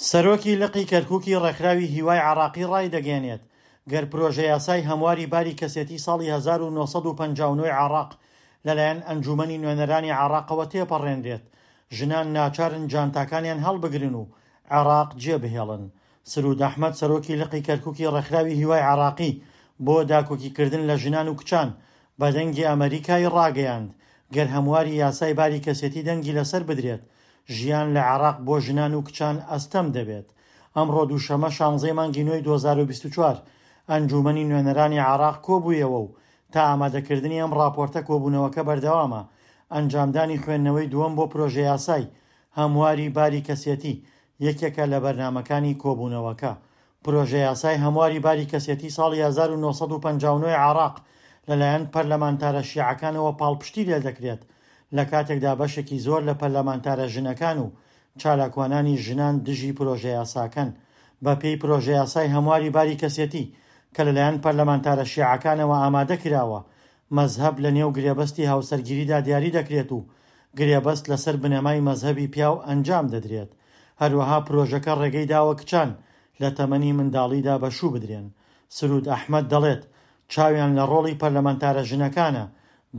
سەرۆکی لقی کەرکوکی ڕێکخراوی هیوای عێراقی ڕایدەگەیەنێت، گەر پرۆژەیاسای هەمواری باری کەسێتی ساڵی 1959 ی عێراق لەلایەن ئەنجوومەنی نوێنەرانی عێراقەوە تێپەڕێنرێت، ژنان ناچارن جانتاکانیان هەڵبگرن و عێراق جێبهێڵن. سرود ئەحمەد سەرۆکی لقی کەرکوکی ڕێکخراوی هیوای عێراقی بۆ داکۆکیکردن لە ژنان و کچان بە دەنگی ئەمەریکای ڕاگەیاند، گەر هەمواری یاسای باری کەسێتی دەنگی لەسەر بدرێت، ژیان لە عێراق بۆ ژنان و کچان ئەستەم دەبێت. ئەمڕۆ دووشەممە شانزەی مانگی نۆی 2024 ئەنجوومەنی نوێنەرانی عێراق کۆبوویەوە و تا ئامادەکردنی ئەم ڕاپۆرتە کۆبوونەوەکە بەردەوامە، ئەنجامدانی خوێندنەوەی دووەم بۆ پرۆژەیاسای هەمواری باری کەسێتی یەکێکە لە بەرنامەکانی کۆبوونەوەکە. پرۆژەیاسای هەمواری باری کەسێتی ساڵی 1959 ی عێراق لەلایەن پەرلەمانتارە شیعەکانەوە پاڵپشتی لێدەکرێت، لەکاتێکدا بەشێکی زۆر لە پەرلەمانتارە ژنەکان و چالاکوانانی ژنان دژی پرۆژەیاساکەن. بەپێی پرۆژەیاسای هەمواری باری کەسێتی کە لەلایەن پەرلەمانتارە شیعەکانەوە ئامادە کراوە، مەزهەب لەنێو گرێبەستی هاوسەرگیریدا دیاری دەکرێت و گرێبەست لەسەر بنەمای مەزهەبی پیاو ئەنجام دەدرێت. هەروەها پرۆژەکە ڕێگەی داوە کچان لە تەمەنی منداڵیدا بە شوو بدرێن. سرود ئەحمەد دەڵێت، چاویان لە ڕۆڵی پەرلەمانتارە ژنەکانە،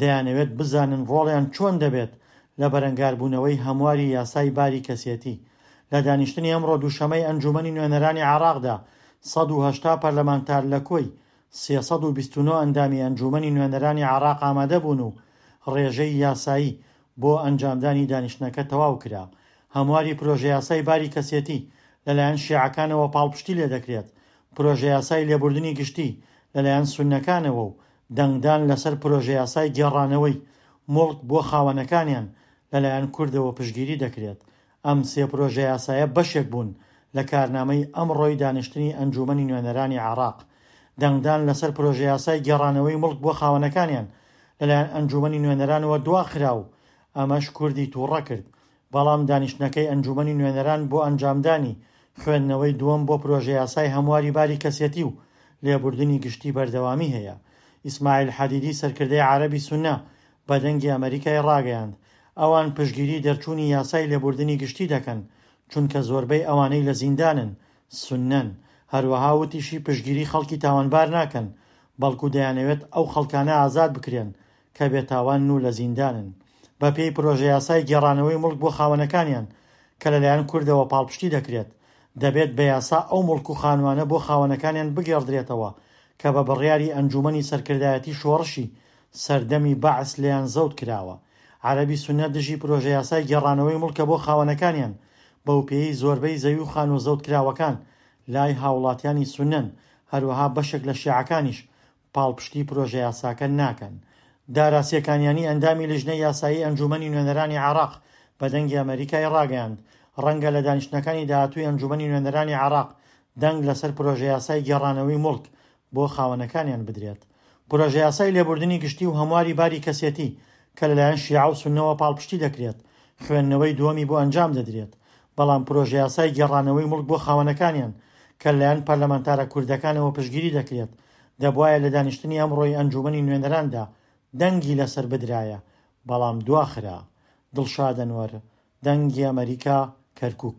دەیانەوێت بزانن ڕۆڵیان چۆن دەبێت لە بەرەنگاربوونەوەی هەمواری یاسای باری کەسێتی. لە دانیشتنی ئەمڕۆ دووشەمەی ئەنجوومەنی نوێنەرانی عێراقدا 180 پەرلەمانتار لە کۆی 329 ئەندامی ئەنجوومەنی نوێنەرانی عێراق ئامادەبوون و ڕێژەی یاسایی بۆ ئەنجامدانی دانیشتنەکە تەواو کرا. هەمواری پرۆژەیاسای باری کەسێتی لەلایەن شیعەکانەوە پاڵپشتی لێدەکرێت، پرۆژەیاسای لێبوردنی گشتی لەلایەن سوننەکانەوە و دەنگدان لەسەر پرۆژەیاسای گێڕانەوەی موڵک بۆ خاوەنەکانیان لەلایەن کوردەوە پشتگیری دەکرێت. ئەم سێ پرۆژەیاسایە بەشێک بوون لە کارنامەی ئەمڕۆی دانیشتنی ئەنجوومەنی نوێنەرانی عێراق. دەنگدان لەسەر پرۆژەیاسای گێڕانەوەی موڵک بۆ خاوەنەکانیان لەلایەن ئەنجوومەنی نوێنەرانەوە دواخرا و ئەمەش کوردی تووڕە کرد. بەڵام دانیشتنەکەی ئەنجوومەنی نوێنەران بۆ ئەنجامدانی خوێندنەوەی دووەم بۆ پرۆژەیاسای هەمواری باری کەسێتی و لێبوردنی گشتی بەردەوامی هەیە. ئیسماعیل حەدیدی سەرکردەی عەرەبی سوننە بە دەنگی ئەمەریکای ڕاگەیاند، ئەوان پشتگیری دەرچوونی یاسای لێبوردنی گشتی دەکەن، چونکە زۆربەی ئەوانەی لە زیندانن سوننەن، هەروەها وتیشی پشتگیری خەڵکی تاوانبار ناکەن، بەڵکو دەیانەوێت ئەو خەڵکانە ئازاد بکرێن کە بێتاوانن و لە زیندانن. بەپێی پرۆژەیاسای گێڕانەوەی موڵک بۆ خاوەنەکانیان کە لەلایەن کوردەوە پاڵپشتی دەکرێت، دەبێت بە یاسا ئەو موڵک و خانووانە بۆ خاوەنەکانیان بگێڕدرێتەوە کە بە بڕیاری ئەنجوومەنی سەرکردایەتی شۆڕشی سەردەمی بەعس لێیان زەوت کراوە. عەرەبی سوننە دژی پرۆژەیاسای گێڕانەوەی موڵکە بۆ خاوەنەکانیان، بەوپێیەی زۆربەی زەوی و خانووە زەوتکراوەکان لای هاوڵاتیانی سوننەن، هەروەها بەشێک لە شیعەکانیش پاڵپشتی پرۆژەیاساکە ناکەن. دارا سێکانیانی ئەندامی لیژنەی یاسایی ئەنجوومەنی نوێنەرانی عێراق بە دەنگی ئەمەریکای ڕاگەیاند، ڕەنگە لە دانیشتنەکانی داهاتووی ئەنجوومەنی نوێنەرانی عێراق دەنگ لەسەر پرۆژەیاسای گێڕانەوەی موڵک بۆ خاوەنەکانیان بدرێت. پرۆژەیاسای لێبوردنی گشتی و هەمواری باری کەسێتی کە لەلایەن شیعە و سوننەوە پاڵپشتی دەکرێت، خوێندنەوەی دووەمی بۆ ئەنجام دەدرێت، بەڵام پرۆژەیاسای گێڕانەوەی موڵک بۆ خاوەنەکانیان کە لەلایەن پەرلەمانتارە کوردەکانەوە پشتگیری دەکرێت، دەبوایە لە دانیشتنی ئەمڕۆی ئەنجوومەنی نوێنەراندا دەنگی لەسەر بدرایە، بەڵام دواخرا. دڵشاد ئەنوەر، دەنگی ئەمەریکا، کەرکوک.